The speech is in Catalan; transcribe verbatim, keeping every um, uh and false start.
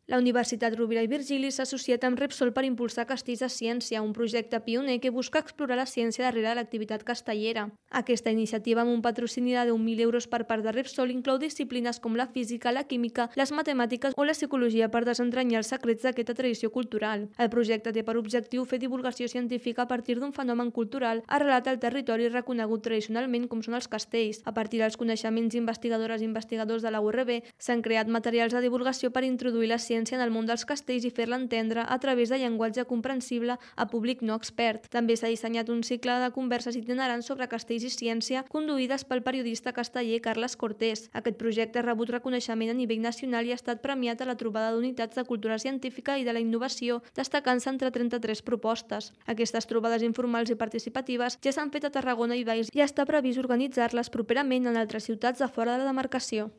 La Universitat Rovira i Virgili s'ha associat amb Repsol per impulsar Castells de Ciència, un projecte pioner que busca explorar la ciència darrere de l'activitat castellera. Aquesta iniciativa, amb un patrocini de deu mil euros per part de Repsol, inclou disciplines com la física, la química, les matemàtiques o la psicologia per desentranyar els secrets d'aquesta tradició cultural. El projecte té per objectiu fer divulgació científica a partir d'un fenomen cultural arrelat al territori reconegut tradicionalment com són els castells. A partir dels coneixements investigadores i investigadors de la U R B, s'han creat materials de divulgació per introduir la ciència en el món dels castells i fer-la entendre a través de llenguatge comprensible a públic no expert. També s'ha dissenyat un cicle de converses itinerants sobre castells i ciència conduïdes pel periodista casteller Carles Cortés. Aquest projecte ha rebut reconeixement a nivell nacional i ha estat premiat a la trobada d'unitats de cultura científica i de la innovació, destacant-se entre trenta-tres propostes. Aquestes trobades informals i participatives ja s'han fet a Tarragona i Valls i està previst organitzar-les properament en altres ciutats de fora de la demarcació.